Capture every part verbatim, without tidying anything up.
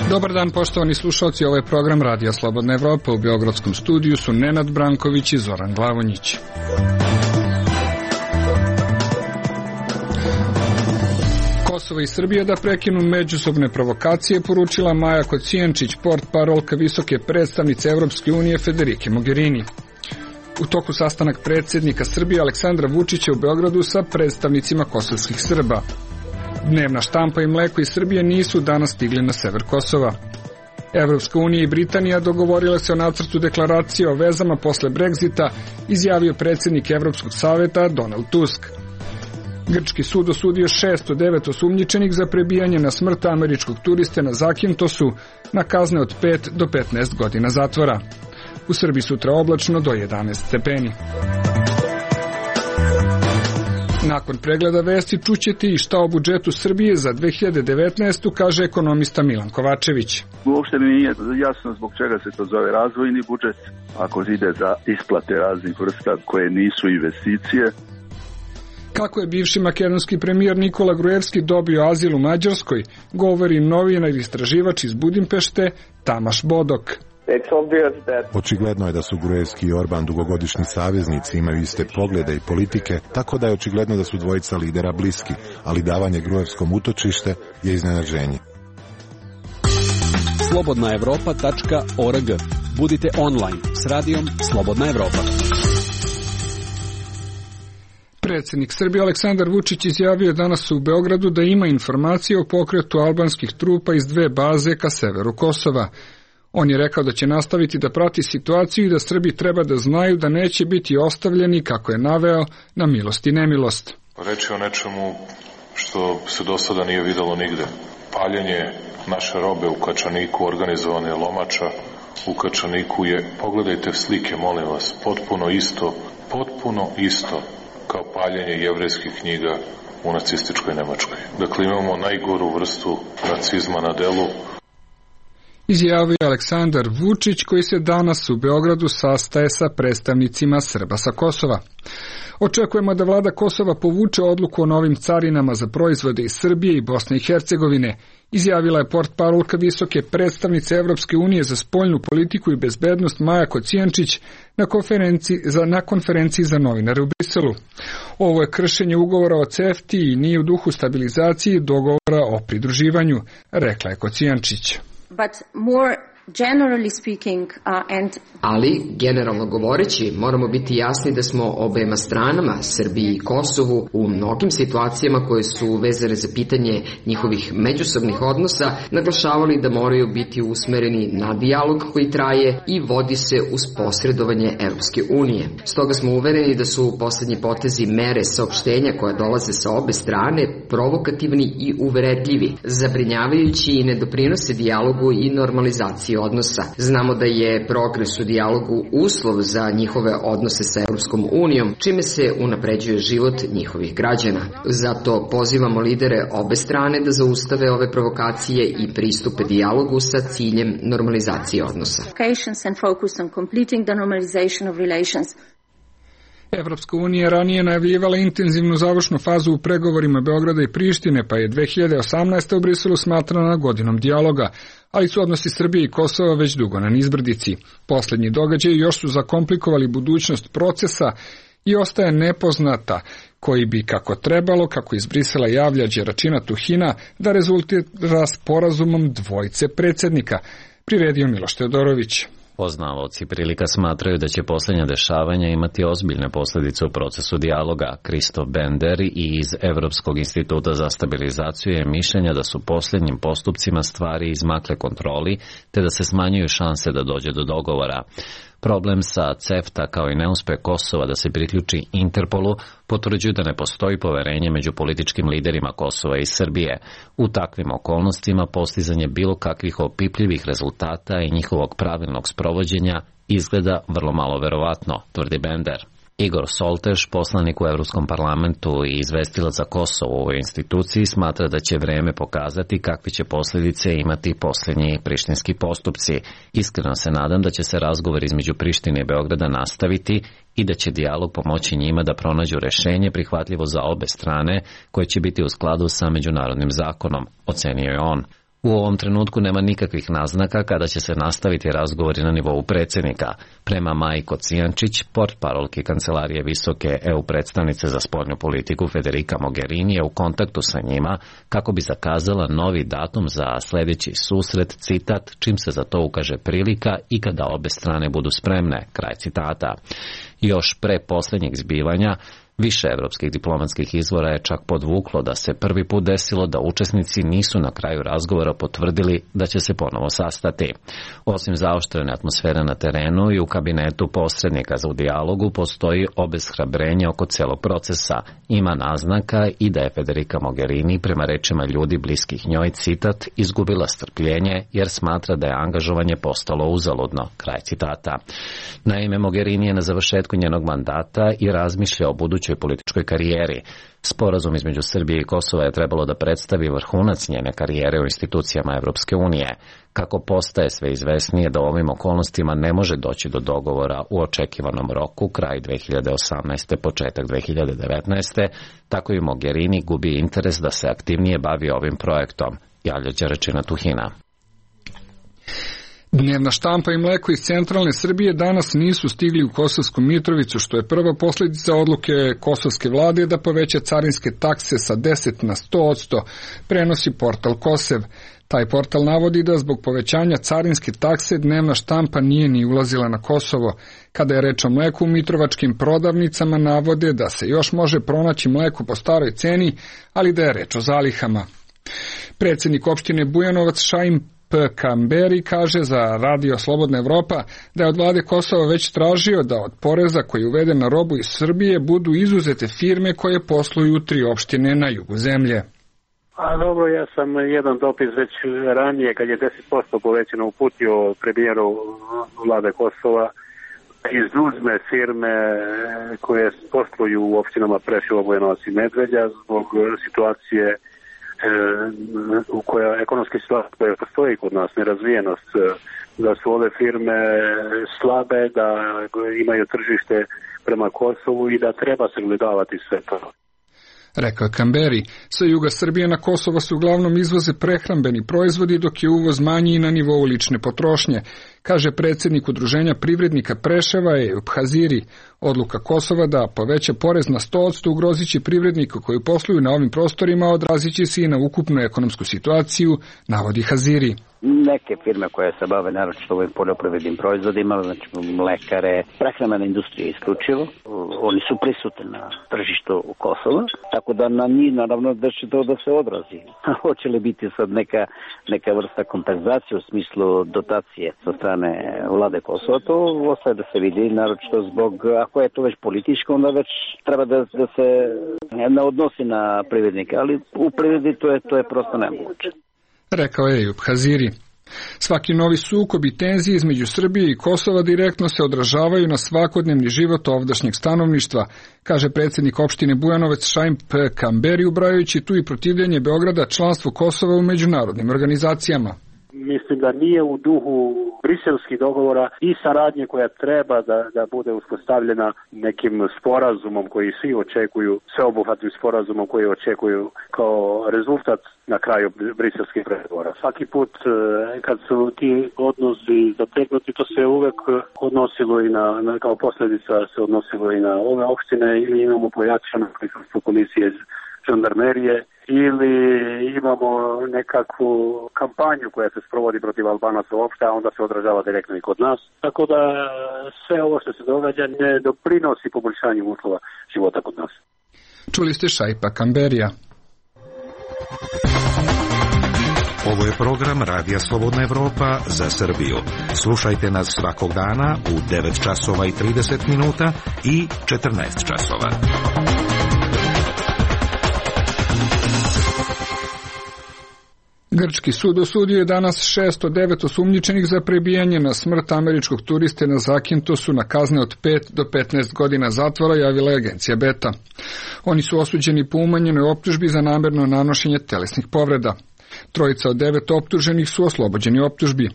Dobar dan, poštovani slušalci, ovo je program Radija Slobodna Evropa. U Beogradskom studiju su Nenad Branković i Zoran Glavonjić. Kosovo i Srbija da prekinu međusobne provokacije, poručila Maja Kocijančić, portparolka visoke predstavnice Evropske unije Federike Mogherini. U toku sastanak predsjednika Srbije Aleksandra Vučića u Beogradu sa predstavnicima kosovskih Srba. Dnevna štampa i mleko iz Srbije nisu danas stigli na sever Kosova. Evropska unija i Britanija dogovorile se o nacrtu deklaracije o vezama posle Brexita, izjavio predsjednik Evropskog saveta Donald Tusk. Grčki sud osudio šest od devet osumnjičenih za prebijanje na smrt američkog turiste na Zakintosu na kazne od pet do petnaest godina zatvora. U Srbiji sutra oblačno do jedanaest stepeni. Nakon pregleda vesti čućete i šta o budžetu Srbije za dve hiljade devetnaestu kaže ekonomista Milan Kovačević. Uopšte mi nije jasno zbog čega se to zove razvojni budžet, ako ide za isplate raznih vrsta koje nisu investicije. Kako je bivši makedonski premijer Nikola Gruevski dobio azil u Mađarskoj, govori novinar i istraživač iz Budimpešte Tamaš Bodok. Očigledno je da su Gruevski i Orban dugogodišnji saveznici, imaju iste poglede i politike, tako da je očigledno da su dvojica lidera bliski, ali davanje Gruevskom utočište je iznenađenje. slobodna evropa tačka org. Budite online s radijom Slobodna Evropa. Predsjednik Srbije Aleksandar Vučić izjavio danas u Beogradu da ima informacije o pokretu albanskih trupa iz dve baze ka severu Kosova. On je rekao da će nastaviti da prati situaciju i da Srbi treba da znaju da neće biti ostavljeni, kako je naveo, na milost i nemilost. Reč je o nečemu što se do sada nije videlo nigde. Paljenje naše robe u Kačaniku, organizovane lomača u Kačaniku je, pogledajte slike, molim vas, potpuno isto, potpuno isto kao paljenje jevrejskih knjiga u nacističkoj Nemačkoj. Dakle, imamo najgoru vrstu nacizma na delu. Izjavio je Aleksandar Vučić, koji se danas u Beogradu sastaje sa predstavnicima Srba sa Kosova. Očekujemo da vlada Kosova povuče odluku o novim carinama za proizvode iz Srbije i Bosne i Hercegovine, izjavila je portparolka visoke predstavnice Evropske unije za spoljnu politiku i bezbednost Maja Kocijančić na konferenciji za, na konferenciji za novinare u Briselu. Ovo je kršenje ugovora o CEFTI i nije u duhu stabilizacije i dogovora o pridruživanju, rekla je Kocijančić. But more generally speaking, uh, and... Ali, generalno govoreći, moramo biti jasni da smo obema stranama, Srbiji i Kosovu, u mnogim situacijama koje su vezane za pitanje njihovih međusobnih odnosa, naglašavali da moraju biti usmereni na dijalog koji traje i vodi se uz posredovanje Evropske unije. Stoga smo uvereni da su poslednji potezi mere saopštenja koja dolaze sa obe strane provokativni i uvredljivi, zabrinjavajući i ne doprinose dijalogu i normalizaciji odnosa. Znamo da je progres u dijalogu uslov za njihove odnose sa Evropskom unijom, čime se unapređuje život njihovih građana. Zato pozivamo lidere obe strane da zaustave ove provokacije i pristupe dijalogu sa ciljem normalizacije odnosa. Evropska unija ranije najavljivala intenzivnu završnu fazu u pregovorima Beograda i Prištine, pa je dve hiljade osamnaeste. u Briselu smatrana godinom dijaloga, ali su odnosi Srbije i Kosova već dugo na nizbrdici. Poslednji događaji još su zakomplikovali budućnost procesa i ostaje nepoznata koji bi, kako trebalo, kako iz Brisela javlja Đeračina Tuhina, da rezultira sporazumom dvojice predsjednika, priredio Miloš Teodorović. Poznavaoci prilika smatraju da će posljednja dešavanja imati ozbiljne posljedice u procesu dijaloga. Kristof Bender i iz Evropskog instituta za stabilizaciju je mišljenja da su posljednjim postupcima stvari izmakle kontroli, te da se smanjuju šanse da dođe do dogovora. Problem sa CEFTA kao i neuspeh Kosova da se priključi Interpolu potvrđuju da ne postoji poverenje među političkim liderima Kosova i Srbije. U takvim okolnostima postizanje bilo kakvih opipljivih rezultata i njihovog pravilnog sprovođenja izgleda vrlo malo verovatno, tvrdi Bender. Igor Soltež, poslanik u Evropskom parlamentu i izvestilac za Kosovo u ovoj instituciji, smatra da će vreme pokazati kakve će posljedice imati posljednji prištinski postupci. Iskreno se nadam da će se razgovor između Prištine i Beograda nastaviti i da će dijalog pomoći njima da pronađu rešenje prihvatljivo za obe strane, koje će biti u skladu sa međunarodnim zakonom, ocenio je on. U ovom trenutku nema nikakvih naznaka kada će se nastaviti razgovori na nivou predsjednika. Prema Maji Kocijančić, portparolki Kancelarije visoke E U predstavnice za spoljnu politiku Federica Mogherini je u kontaktu sa njima kako bi zakazala novi datum za sljedeći susret, citat, čim se za to ukaže prilika i kada obe strane budu spremne, kraj citata. Još pre posljednjeg zbivanja, više evropskih diplomatskih izvora je čak podvuklo da se prvi put desilo da učesnici nisu na kraju razgovora potvrdili da će se ponovo sastati. Osim zaoštrene atmosfere na terenu i u kabinetu posrednika za u dijalogu postoji obeshrabrenje oko celog procesa. Ima naznaka i da je Federica Mogherini, prema rečima ljudi bliskih njoj, citat, izgubila strpljenje jer smatra da je angažovanje postalo uzaludno, kraj citata. Naime, Mogherini je na završetku njenog mandata i razmišlja o budućnosti političkoj karijeri. Sporazum između Srbije i Kosova je trebalo da predstavi vrhunac njene karijere u institucijama Evropske unije. Kako postaje sve izvesnije da u ovim okolnostima ne može doći do dogovora u očekivanom roku, kraj dve hiljade osamnaeste. početak dve hiljade devetnaeste. tako i Mogherini gubi interes da se aktivnije bavi ovim projektom, javlja Đeračina Tuhina. Dnevna štampa i mleko iz centralne Srbije danas nisu stigli u Kosovsku Mitrovicu, što je prva posljedica odluke kosovske vlade da poveća carinske takse sa deset na sto posto, prenosi portal Kosev. Taj portal navodi da zbog povećanja carinske takse dnevna štampa nije ni ulazila na Kosovo. Kada je reč o mleku, u mitrovačkim prodavnicama navode da se još može pronaći mleko po staroj ceni, ali da je reč o zalihama. Predsjednik opštine Bujanovac Šaim Kamberi kaže za Radio Slobodna Evropa da je od vlade Kosova već tražio da od poreza koji je uveden na robu iz Srbije budu izuzete firme koje posluju u tri opštine na jugu zemlje. A dobro, ja sam jedan dopis već ranije, kad je deset posto povećano, uputio premijeru vlade Kosova, izuzme firme koje posluju u opštinama Preševo, Bujanovac i Medveđa zbog situacije u koja ekonomska situacija koja postoji kod nas, nerazvijenost, da su ove firme slabe, da imaju tržište prema Kosovu i da treba se gledavati sve to. Rekao je Kamberi, sa juga Srbije na Kosovo se uglavnom izvoze prehrambeni proizvodi, dok je uvoz manji na nivou lične potrošnje, kaže predsjednik Udruženja privrednika Preševa Ejup Haziri. Odluka Kosova da poveća porez na sto posto ugrozit će privrednika koji posluju na ovim prostorima, odrazit će se i na ukupnu ekonomsku situaciju, navodi Haziri. Neke firme koje se bave naročito ovim poljoprivrednim proizvodima, znači mlekare, prehrambena industrija isključivo, oni su prisutni na tržištu Kosova, tako da na njih naravno da će to da se odrazi. Hoće li biti sad neka, neka vrsta kompenzacije u smislu dotacije sa strane vlade Kosova, to ostaje da se vidi, naročito zbog, ako je to već političko, onda već treba da, da se ne odnosi na privrednike, ali u privredi to je, to je prosto nemoguće. Rekao je Ejup Haziri. Svaki novi sukob i tenzije između Srbije i Kosova direktno se odražavaju na svakodnevni život ovdašnjeg stanovništva, kaže predsjednik opštine Bujanovac Šaim Kamberi, ubrajajući tu i protivljenje Beograda članstvu Kosova u međunarodnim organizacijama. Mislim da nije u duhu briselskih dogovora i saradnje koja treba da, da bude uspostavljena nekim sporazumom koji svi očekuju, sveobuhvatnim sporazumom koji očekuju kao rezultat na kraju briselskih pregovora. Svaki put kad su ti odnosi zategnuti, to se uvek odnosilo i na, na kao posljedica se odnosilo i na ove opštine, ili imamo pojačano prisustvo komisije žandarmerije, ili imamo nekakvu kampanju koja se sprovodi protiv Albanaca uopšte, a onda se odražava direktno i kod nas. Tako da sve ovo što se događa ne doprinosi poboljšanju uslova života kod nas. Čuli ste Šaipa Kamberija. Ovo je program Radija Slobodna Evropa za Srbiju. Slušajte nas svakog dana u devet časova i trideset minuta i četrnaest časova. Grčki sud osudio je danas šesto devet osumnjičenih za prebijanje na smrt američkog turiste na Zakintosu na kazne od pet do petnaest godina zatvora, javila je agencija Beta. Oni su osuđeni po umanjenoj optužbi za namerno nanošenje telesnih povreda. Trojica od devet optuženih su oslobođeni optužbi.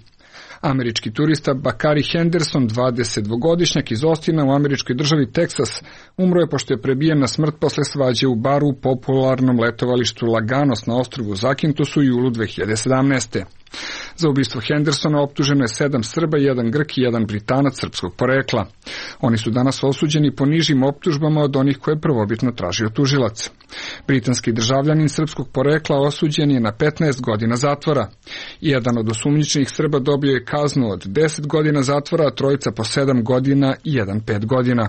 Američki turista Bakari Henderson, dvadesetdvogodišnjak iz Ostina u američkoj državi Teksas, umro je pošto je prebijen na smrt posle svađe u baru u popularnom letovalištu Laganos na ostrvu Zakintosu u julu dve hiljade sedamnaeste. Za ubistvo Hendersona optuženo je sedam Srba, jedan Grk i jedan Britanac srpskog porekla. Oni su danas osuđeni po nižim optužbama od onih koje je prvobitno tražio tužilac. Britanski državljanin srpskog porekla osuđen je na petnaest godina zatvora. Jedan od osumnjičenih Srba dobio je kaznu od deset godina zatvora, a trojica po sedam godina i jedan pet godina.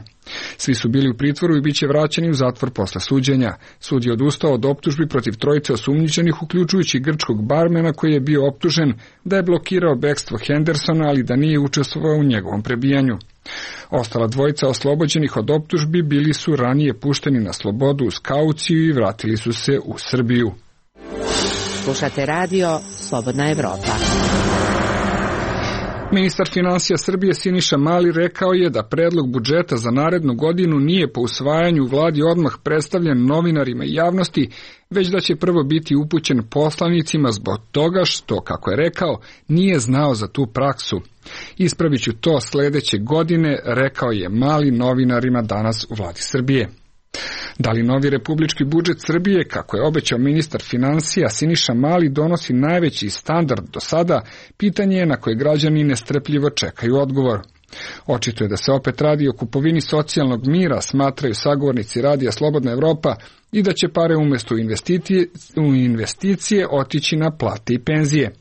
Svi su bili u pritvoru i bit će vraćeni u zatvor posle suđenja. Sud je odustao od optužbi protiv trojice osumnjičenih, uključujući grčkog barmena koji je bio optužen da je blokirao bekstvo Hendersona, ali da nije učestvovao u njegovom prebijanju. Ostala dvojica oslobođenih od optužbi bili su ranije pušteni na slobodu uz kauciju i vratili su se u Srbiju. Slušate radio Slobodna Evropa. Ministar finansija Srbije Siniša Mali rekao je da predlog budžeta za narednu godinu nije po usvajanju u vladi odmah predstavljen novinarima i javnosti, već da će prvo biti upućen poslanicima zbog toga što, kako je rekao, nije znao za tu praksu. Ispravit ću to sledeće godine, rekao je Mali novinarima danas u vladi Srbije. Da li novi republički budžet Srbije, kako je obećao ministar finansija Siniša Mali, donosi najveći standard do sada, pitanje je na koje građani nestrpljivo čekaju odgovor. Očito je da se opet radi o kupovini socijalnog mira, smatraju sagovornici radija Slobodna Evropa, i da će pare umjesto investicije, u investicije otići na plate i penzije.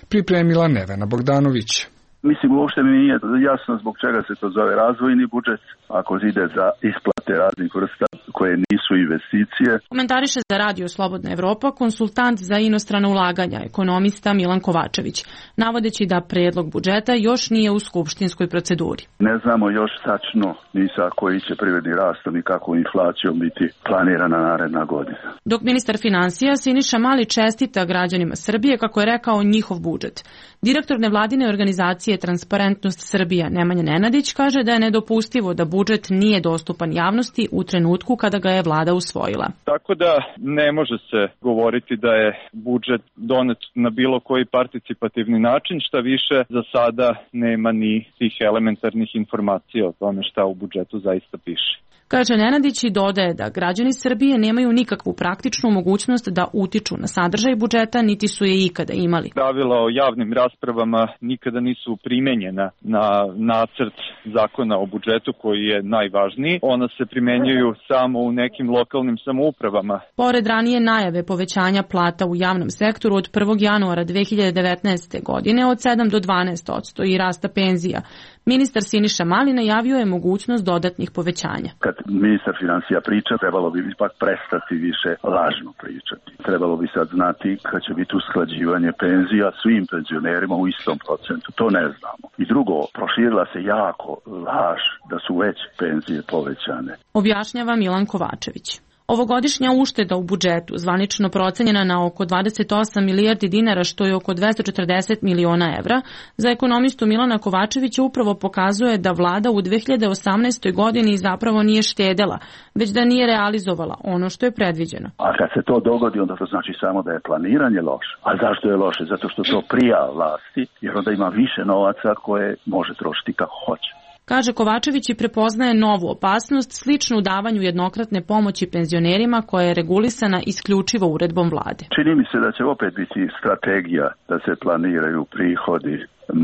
Pripremila Nevena Bogdanović. Mislim, uopšte mi nije jasno zbog čega se to zove razvojni budžet, ako ide za isplate raznih vrsta koje nisu investicije. Komentariše za radio Slobodna Evropa konsultant za inostrana ulaganja, ekonomista Milan Kovačević, navodeći da predlog budžeta još nije u skupštinskoj proceduri. Ne znamo još tačno ni sa koji će privredni rastom i kako inflacijom biti planirana naredna godina. Dok ministar finansija Siniša Mali čestita građanima Srbije, kako je rekao, njihov budžet. Direktor nevladine organizacije Transparentnost Srbija Nemanja Nenadić kaže da je nedopustivo da budžet nije dostupan javnosti u trenutku kada ga je vlada usvojila. Tako da ne može se govoriti da je budžet donet na bilo koji participativni način, šta više za sada nema ni tih elementarnih informacija o tome šta u budžetu zaista piše. Kaže Nenadić i dodaje da građani Srbije nemaju nikakvu praktičnu mogućnost da utiču na sadržaj budžeta, niti su je ikada imali. Pravila o javnim raspravama nikada nisu primenjena na nacrt zakona o budžetu koji je najvažniji. Ona se primenjuju samo u nekim lokalnim samoupravama. Pored ranije najave povećanja plata u javnom sektoru od prvog januara dve hiljade devetnaeste. godine od sedam do dvanaest posto i rasta penzija, ministar Siniša Mali najavio je mogućnost dodatnih povećanja. Kad ministar finansija priča, trebalo bi ipak prestati više lažno pričati. Trebalo bi sad znati kad će biti usklađivanje penzija svim penzionerima u istom procentu. To ne znamo. I drugo, proširila se jako laž da su već penzije povećane. Objašnjava Milan Kovačević. Ovogodišnja ušteda u budžetu, zvanično procenjena na oko dvadeset osam milijardi dinara, što je oko dvesta četrdeset miliona evra, za ekonomistu Milana Kovačevića upravo pokazuje da vlada u dve hiljade osamnaestoj. godini zapravo nije štedela, već da nije realizovala ono što je predviđeno. A kad se to dogodi, onda to znači samo da je planiranje loše. A zašto je loše? Zato što to prija vlasti, jer onda ima više novaca koje može trošiti kako hoće. Kaže Kovačević i prepoznaje novu opasnost, sličnu davanju jednokratne pomoći penzionerima koja je regulisana isključivo uredbom vlade. Čini mi se da će opet biti strategija da se planiraju prihodi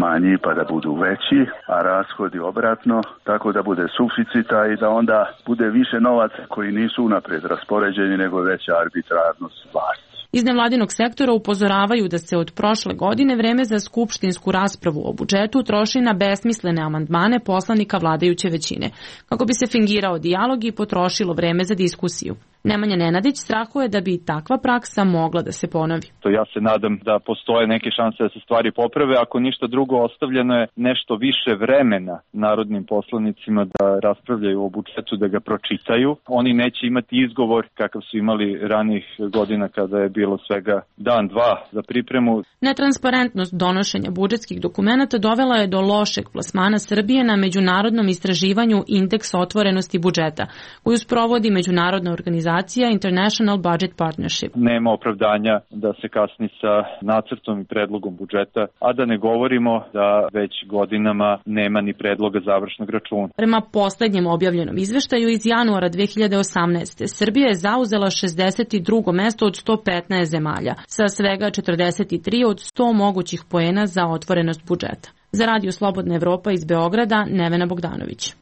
manji pa da budu veći, a rashodi obratno, tako da bude suficita i da onda bude više novaca koji nisu unaprijed raspoređeni, nego veća arbitrarnost vlasti. Iz nevladinog sektora upozoravaju da se od prošle godine vreme za skupštinsku raspravu o budžetu troši na besmislene amandmane poslanika vladajuće većine, kako bi se fingirao dijalog i potrošilo vreme za diskusiju. Nemanja Nenadić strahuje da bi takva praksa mogla da se ponovi. To ja se nadam da postoje neke šanse da se stvari poprave. Ako ništa drugo, ostavljeno je nešto više vremena narodnim poslanicima da raspravljaju o budžetu, da ga pročitaju. Oni neće imati izgovor kakav su imali ranijih godina kada je bilo svega dan, dva za pripremu. Netransparentnost donošenja budžetskih dokumenata dovela je do lošeg plasmana Srbije na međunarodnom istraživanju indeksa otvorenosti budžeta, koju sprovodi međunarodna organizacija International Budget Partnership. Nema opravdanja da se kasni sa nacrtom i predlogom budžeta, a da ne govorimo da već godinama nema ni predloga završnog računa. Prema poslednjem objavljenom izveštaju iz januara dve hiljade osamnaeste. Srbija je zauzela šezdeset drugo mesto od sto petnaest zemalja, sa svega četrdeset tri od sto mogućih poena za otvorenost budžeta. Za Radio Slobodna Evropa iz Beograda, Nevena Bogdanović.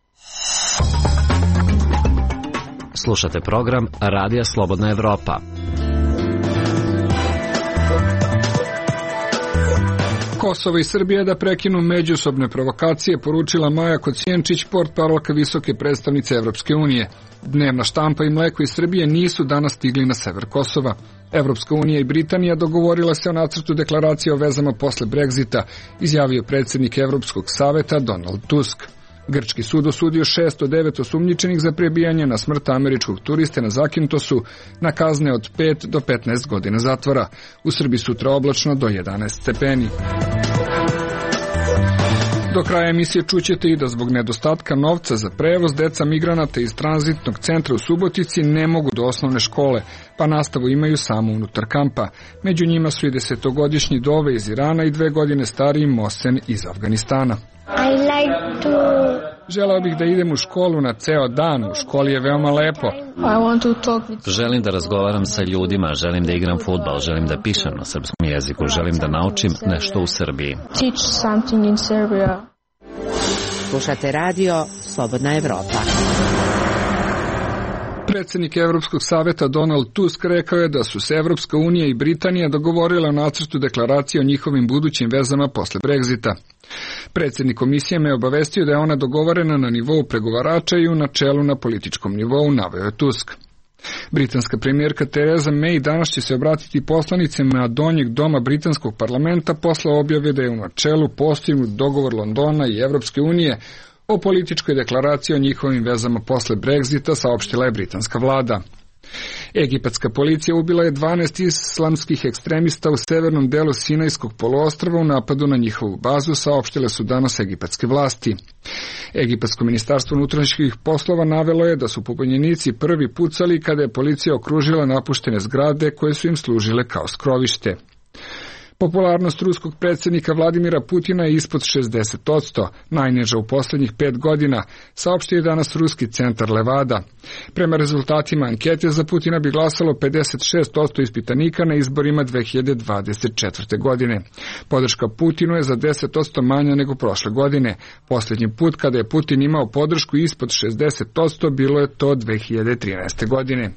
Slušate program Radija Slobodna Evropa. Kosovo i Srbija da prekinu međusobne provokacije, poručila Maja Kocijančić, portparolka visoke predstavnice Evropske unije. Dnevna štampa i mleko iz Srbije nisu danas stigli na sever Kosova. Evropska unija i Britanija dogovorila se o nacrtu deklaracije o vezama posle Brexita, izjavio predsjednik Evropskog saveta Donald Tusk. Grčki sud osudio šest od devet osumnjičenih za prebijanje na smrt američkog turiste na Zakintosu na kazne od pet do petnaest godina zatvora. U Srbiji sutra oblačno do jedanaest stepeni. Do kraja emisije čućete i da zbog nedostatka novca za prevoz deca migranata iz tranzitnog centra u Subotici ne mogu do osnovne škole, pa nastavu imaju samo unutar kampa. Među njima su i desetogodišnji Dove iz Irana i dve godine stariji Mosen iz Afganistana. I like to... Želeo bih da idem u školu na ceo dan, u školi je veoma lepo. I want to talk with... Želim da razgovaram sa ljudima, želim da igram fudbal, želim da pišem na srpskom jeziku, želim da naučim nešto u Srbiji. Teach something in Serbia. Slušate radio Slobodna Evropa. Predsjednik Evropskog saveta Donald Tusk rekao je da su se Evropska unija i Britanija dogovorile o nacrtu deklaracije o njihovim budućim vezama posle Brexita. Predsjednik komisije me obavestio da je ona dogovorena na nivou pregovarača i u načelu na političkom nivou, naveo je Tusk. Britanska premijerka Theresa May danas će se obratiti poslanicima donjeg doma britanskog parlamenta posle objave da je u načelu postignut dogovor Londona i Evropske unije o političkoj deklaraciji o njihovim vezama posle Brexita, saopštila je britanska vlada. Egipatska policija ubila je dvanaest islamskih ekstremista u severnom delu Sinajskog poluostrva u napadu na njihovu bazu, saopštile su danas egipatske vlasti. Egipatsko ministarstvo unutrašnjih poslova navelo je da su pobunjenici prvi pucali kada je policija okružila napuštene zgrade koje su im služile kao skrovište. Popularnost ruskog predsjednika Vladimira Putina je ispod šezdeset posto, najniža u posljednjih pet godina, saopštio je danas ruski centar Levada. Prema rezultatima ankete za Putina bi glasalo pedeset šest posto ispitanika na izborima dve hiljade dvadeset četvrte. godine. Podrška Putinu je za deset posto manja nego prošle godine. Posljednji put kada je Putin imao podršku ispod šezdeset posto bilo je to dve hiljade trinaeste. godine.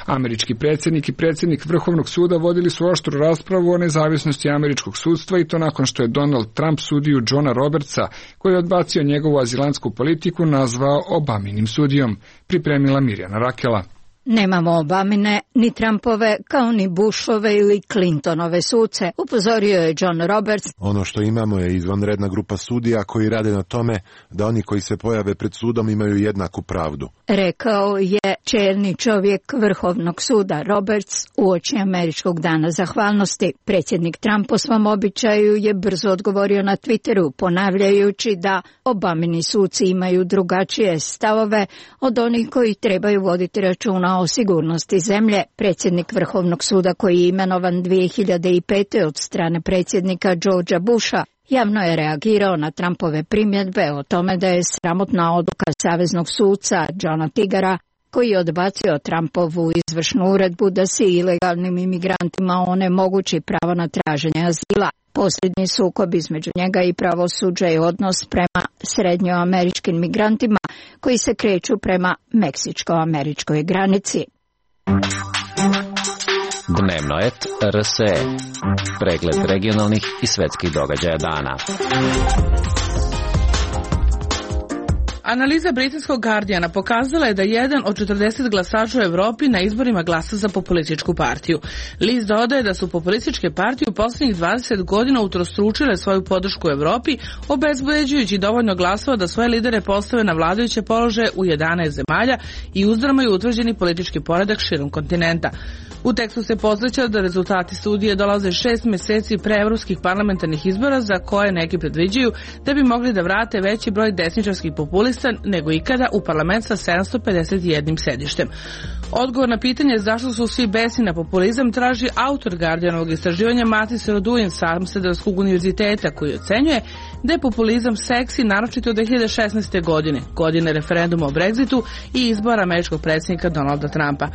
Američki predsjednik i predsjednik Vrhovnog suda vodili su oštru raspravu o nezavisnosti američkog sudstva i to nakon što je Donald Trump sudiju Johna Robertsa, koji je odbacio njegovu azilantsku politiku, nazvao Obaminim sudijom, pripremila Mirjana Rakela. Nemamo Obamine, ni Trumpove, kao ni Bushove ili Clintonove suce, upozorio je John Roberts. Ono što imamo je izvanredna grupa sudija koji rade na tome da oni koji se pojave pred sudom imaju jednaku pravdu. Rekao je čelni čovjek Vrhovnog suda Roberts uoči Američkog dana zahvalnosti. Predsjednik Trump po svom običaju je brzo odgovorio na Twitteru, ponavljajući da Obamini suci imaju drugačije stavove od onih koji trebaju voditi računa o sigurnosti zemlje. Predsjednik Vrhovnog suda, koji je imenovan dvije hiljade pete. od strane predsjednika Georgea Busha, javno je reagirao na Trumpove primjedbe o tome da je sramotna odluka saveznog suca Johna Tigara, koji je odbacio Trumpovu izvršnu uredbu da se ilegalnim imigrantima onemogući pravo na traženje azila. Posljednji sukob između njega i pravosuđa je odnos prema srednjoameričkim migrantima koji se kreću prema meksičko-američkoj granici. Dnevno et R S E. Pregled regionalnih i svetskih događaja dana. Analiza britanskog Guardiana pokazala je da jedan od četrdeset glasača u Evropi na izborima glasa za populističku partiju. List dodaje da su populističke partije u poslednjih dvadeset godina utrostručile svoju podršku u Evropi, obezbeđujući dovoljno glasova da svoje lidere postave na vladajuće položaje u jedanaest zemalja i uzdrmaju utvrđeni politički poredak širom kontinenta. U tekstu se podsjeća da rezultati studije dolaze šest meseci pre evropskih parlamentarnih izbora za koje neki predviđaju da bi mogli da vrate veći broj desničarskih populista nego ikada u parlament sa sedamsto pedeset jedan sedištem. Odgovor na pitanje zašto su svi besni na populizam traži autor Guardianovog istraživanja Matis Roduin sa Amsterdamskog univerziteta, koji ocenjuje da je populizam seksi naročito od dve hiljade šesnaeste. godine, godine referenduma o Brexitu i izbora američkog predsjednika Donalda Trumpa.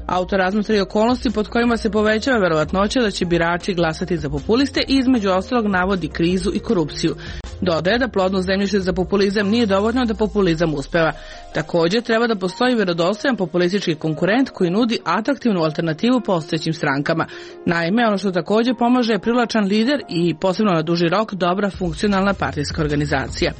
Autor razmatra i okolnosti pod kojima se povećava verovatnoća da će birači glasati za populiste i između ostalog navodi krizu i korupciju. Dodaje da plodno zemljište za populizam nije dovoljno da populizam uspeva. Također treba da postoji vjerodostojan populistički konkurent koji nudi atraktivnu alternativu postojećim strankama. Naime, ono što također pomaže je privlačan lider i posebno na duži rok dobra funkcionalna partijska organizacija.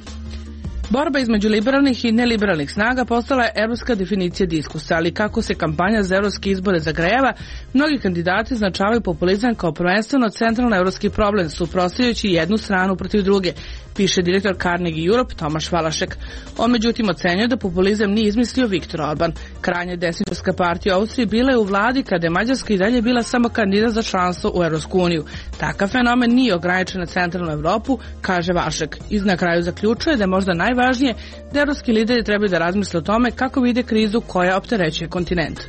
Borba između liberalnih i neliberalnih snaga postala je evropska definicija diskusa, ali kako se kampanja za evropske izbore zagrejava, mnogi kandidati značavaju populizam kao prvenstveno centralno evropski problem, suprotstavljajući jednu stranu protiv druge, piše direktor Carnegie Europe Tomaš Valašek. On međutim ocenjuje da populizam nije izmislio Viktor Orban. Krajnje desničarska partija u Austriji bila je u vladi kada je Mađarska i dalje bila samo kandidat za članstvo u Evropsku uniju. Takav fenomen nije ograničen na centralnu Evropu, kaže Vašek. I na kraju zaključuje da je možda najvažnije da evropski lideri trebaju da razmisle o tome kako vide krizu koja opterećuje kontinent.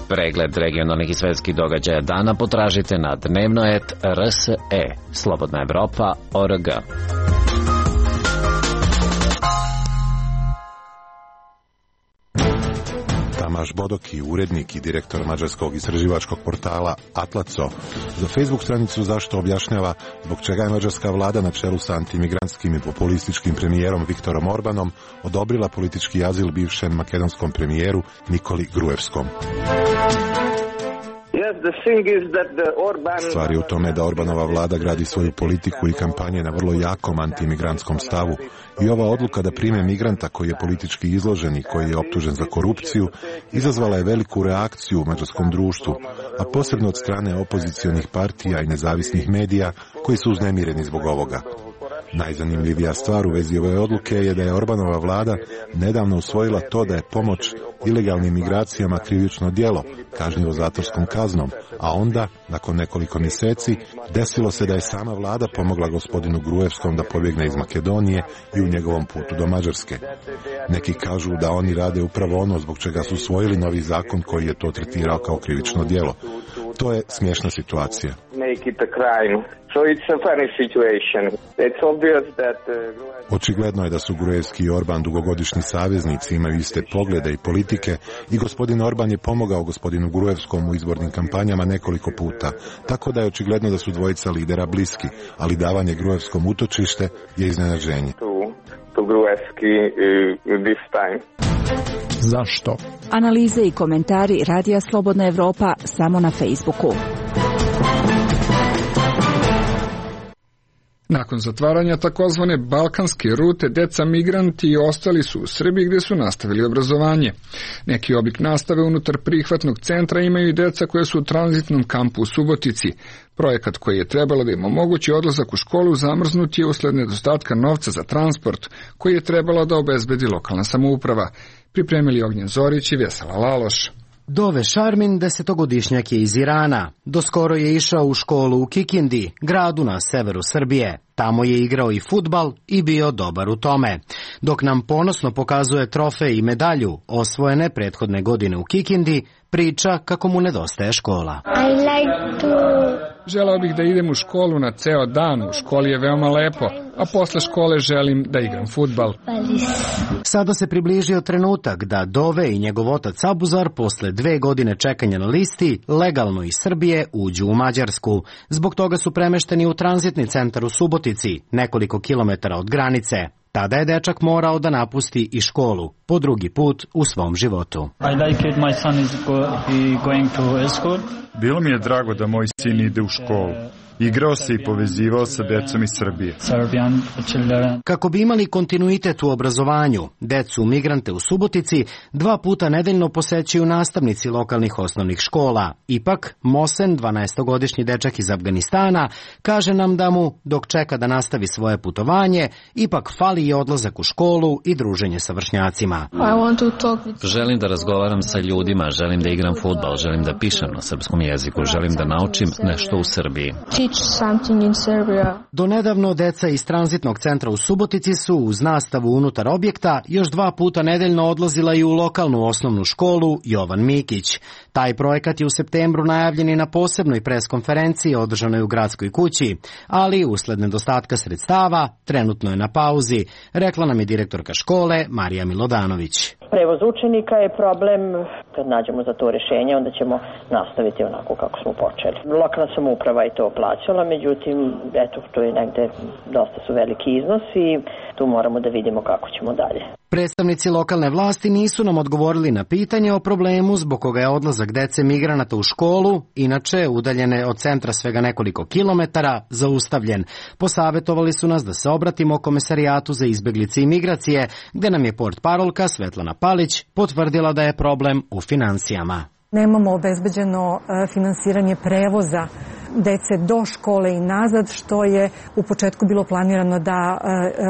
Pregled regionalnih i svetskih događaja dana potražite na dnevnoet R S E, Slobodna Evropa, O R G. Tamaš Bodoki, urednik i direktor mađarskog istraživačkog portala Atlaco, za Facebook stranicu Zašto objašnjava zbog čega je mađarska vlada na čelu sa antimigrantskim i populističkim premijerom Viktorom Orbanom odobrila politički azil bivšem makedonskom premijeru Nikoli Gruevskom. Stvar je u tome da Orbanova vlada gradi svoju politiku i kampanje na vrlo jakom antimigrantskom stavu i ova odluka da prime migranta koji je politički izložen i koji je optužen za korupciju izazvala je veliku reakciju u mađarskom društvu, a posebno od strane opozicionih partija i nezavisnih medija koji su uznemireni zbog ovoga. Najzanimljivija stvar u vezi ove odluke je da je Orbanova vlada nedavno usvojila to da je pomoć ilegalnim migracijama krivično djelo, kažnjivo zatvorskom kaznom, a onda, nakon nekoliko mjeseci, desilo se da je sama vlada pomogla gospodinu Gruevskom da pobjegne iz Makedonije i u njegovom putu do Mađarske. Neki kažu da oni rade upravo ono zbog čega su usvojili novi zakon koji je to tretirao kao krivično djelo. To je smiješna situacija. Očigledno je da su Gruevski i Orban dugogodišnji saveznici, imaju iste poglede i politike i gospodin Orban je pomogao gospodinu Gruevskom u izbornim kampanjama nekoliko puta, tako da je očigledno da su dvojica lidera bliski, ali davanje Gruevskom utočište je iznenađenje. Zašto? Analize i komentari Radija Slobodna Evropa samo na Facebooku. Nakon zatvaranja takozvane balkanske rute, deca migranti i ostali su u Srbiji gdje su nastavili obrazovanje. Neki oblik nastave unutar prihvatnog centra imaju i deca koje su u tranzitnom kampu u Subotici. Projekat koji je trebalo da im omogući odlazak u školu zamrznut je usled nedostatka novca za transport koji je trebalo da obezbedi lokalna samouprava. Pripremili Ognjen Zorić i Vesela Laloš. Dove Šarmin desetogodišnjak je iz Irana. Doskoro je išao u školu u Kikindi, gradu na severu Srbije. Tamo je igrao i fudbal i bio dobar u tome. Dok nam ponosno pokazuje trofej i medalju osvojene prethodne godine u Kikindi, priča kako mu nedostaje škola. I like to... Želeo bih da idem u školu na ceo dan, u školi je veoma lepo, a posle škole želim da igram fudbal. Sada se približio trenutak da Dove i njegov otac Abuzar posle dve godine čekanja na listi legalno iz Srbije uđu u Mađarsku. Zbog toga su premešteni u tranzitni centar u Subotici, nekoliko kilometara od granice. Tada je dečak morao da napusti i školu, po drugi put u svom životu. Bilo mi je drago da moj sin ide u školu. Igrao se i povezivao sa decom iz Srbije. Kako bi imali kontinuitet u obrazovanju, decu migrante u Subotici dva puta nedeljno posećuju nastavnici lokalnih osnovnih škola. Ipak, Mosen, dvanaestogodišnji dečak iz Afganistana, kaže nam da mu, dok čeka da nastavi svoje putovanje, ipak fali i odlazak u školu i druženje sa vršnjacima. Želim da razgovaram sa ljudima, želim da igram fudbal, želim da pišem na srpskom jeziku, želim da naučim nešto u Srbiji. Do nedavno deca iz tranzitnog centra u Subotici su uz nastavu unutar objekta još dva puta nedeljno odlazila i u lokalnu osnovnu školu Jovan Mikić. Taj projekat je u septembru najavljen i na posebnoj preskonferenciji održanoj u gradskoj kući, ali usled nedostatka sredstava trenutno je na pauzi, rekla nam je direktorka škole Marija Milodanović. Prevoz učenika je problem, kad nađemo za to rješenje, onda ćemo nastaviti onako kako smo počeli. Lokalna samouprava je to plaćala, međutim, eto, to je negde, dosta su veliki iznosi i tu moramo da vidimo kako ćemo dalje. Predstavnici lokalne vlasti nisu nam odgovorili na pitanje o problemu zbog koga je odlazak dece migranata u školu, inače udaljene od centra svega nekoliko kilometara, zaustavljen. Posavetovali su nas da se obratimo Komesarijatu za izbeglice i migracije, gde nam je portparolka Svetlana Palić potvrdila da je problem u financijama. Nemamo obezbeđeno finansiranje prevoza dece do škole i nazad, što je u početku bilo planirano da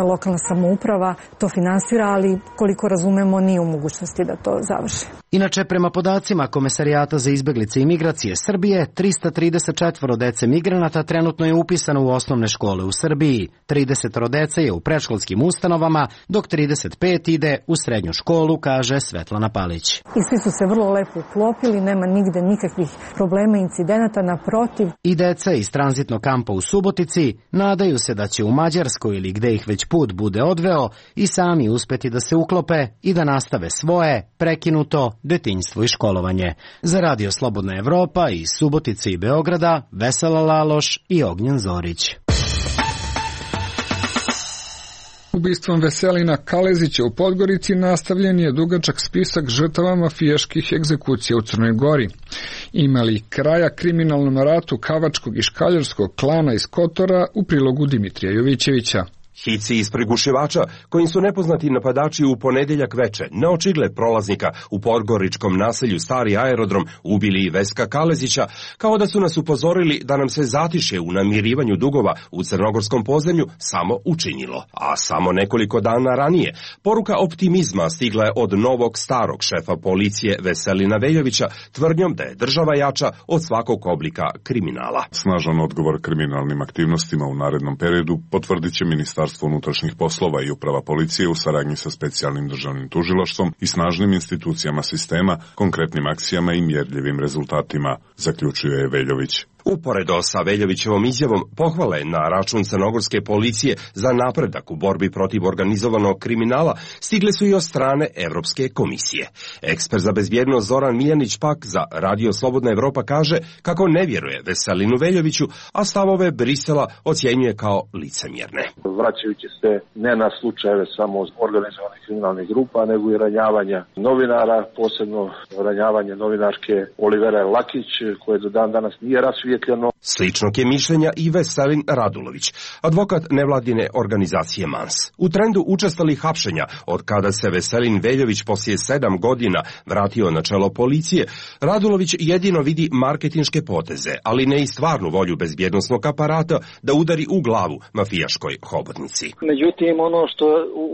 lokalna samouprava to finansira, ali koliko razumemo nije u mogućnosti da to završi. Inače, prema podacima Komesarijata za izbeglice i migracije Srbije, trista trideset četiri dece migranata trenutno je upisano u osnovne škole u Srbiji. trideset dece je u predškolskim ustanovama, dok trideset pet ide u srednju školu, kaže Svetlana Palić. I svi su se vrlo lepo uklopili, nema nigde nikakvih problema, incidenata, naprotiv. I deca iz tranzitnog kampa u Subotici nadaju se da će u Mađarskoj ili gde ih već put bude odveo i sami uspeti da se uklope i da nastave svoje prekinuto detinjstvo i školovanje. Za Radio Slobodna Evropa iz Subotice i Beograda, Vesela Laloš i Ognjen Zorić. Ubistvom Veselina Kalezića u Podgorici nastavljen je dugačak spisak žrtava mafijaških egzekucija u Crnoj Gori. Imali kraja kriminalnom ratu kavačkog i škaljarskog klana iz Kotora u prilogu Dimitrija Jovićevića. Hici iz prigušivača, kojim su nepoznati napadači u ponedeljak veče, na očigled prolaznika u podgoričkom naselju Stari aerodrom ubili Veska Kalezića, kao da su nas upozorili da nam se zatiše u namirivanju dugova u crnogorskom podzemlju samo učinilo. A samo nekoliko dana ranije, poruka optimizma stigla je od novog starog šefa policije Veselina Veljovića, tvrdnjom da je država jača od svakog oblika kriminala. Snažan odgovor kriminalnim aktivnostima u narednom periodu potvrdit će Ministarstvo unutrašnjih poslova i uprava policije u saradnji sa specijalnim državnim tužilaštvom i snažnim institucijama sistema, konkretnim akcijama i mjerljivim rezultatima, zaključuje Veljović. Uporedo sa Veljovićevom izjavom pohvale na račun crnogorske policije za napredak u borbi protiv organizovanog kriminala stigle su i od strane Evropske komisije. Ekspert za bezbjednost Zoran Miljanić pak za Radio Slobodna Evropa kaže kako ne vjeruje Veselinu Veljoviću, a stavove Brisela ocjenjuje kao licemjerne. Vraćajući se ne na slučajeve samo organizovanih kriminalnih grupa, nego i ranjavanja novinara, posebno ranjavanje novinarke Olivere Lakić, koje do dan danas nije rasvijetljeno. Sličnog je mišljenja i Veselin Radulović, advokat nevladine organizacije Mans. U trendu učestalih hapšenja, od kada se Veselin Veljović poslije sedam godina vratio na čelo policije, Radulović jedino vidi marketinške poteze, ali ne i stvarnu volju bezbjednosnog aparata da udari u glavu mafijaškoj hobotnici. Međutim, ono što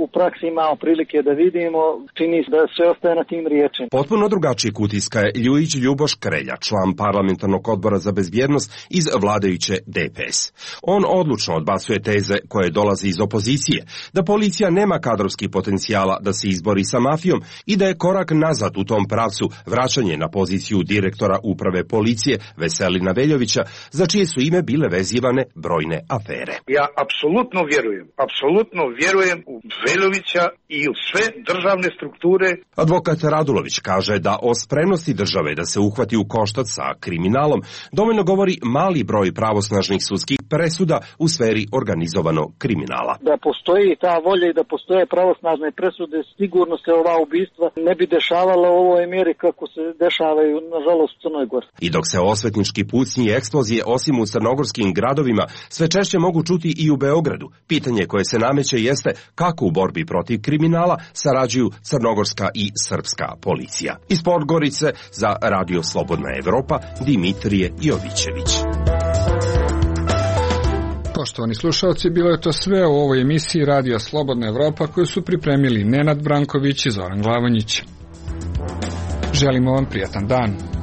u praksi imamo prilike da vidimo, čini se da sve ostaje na tim riječima. Potpuno drugačiji utiska je Ljujić Ljuboš Krelja, član parlamentarnog odbora za bezbjednost iz vladajuće D P S. On odlučno odbacuje teze koje dolaze iz opozicije, da policija nema kadrovski potencijala da se izbori sa mafijom i da je korak nazad u tom pravcu vraćanje na poziciju direktora uprave policije Veselina Veljovića, za čije su ime bile vezivane brojne afere. Ja apsolutno vjerujem, apsolutno vjerujem u Veljovića i u sve državne strukture. Advokat Radulović kaže da o spremnosti države da se uhvati u koštac sa kriminalom dovoljno govori mali broj pravosnažnih sudskih presuda u sferi organizovanog kriminala. Da postoji ta volja i da postoje pravosnažne presude, sigurno se ova ubistva ne bi dešavala u ovoj mjeri kako se dešavaju, nažalost, u Crnoj Gori. I dok se osvetnički pucnji i eksplozije osim u crnogorskim gradovima sve češće mogu čuti i u Beogradu, pitanje koje se nameće jeste kako u borbi protiv kriminala sarađuju crnogorska i srpska policija. Iz Podgorice za Radio Slobodna Evropa, Dimitrije Jovićević. Poštovani slušalci, bilo je to sve u ovoj emisiji Radio Slobodna Evropa koju su pripremili Nenad Branković i Zoran Glavanjić. Želimo vam prijatan dan.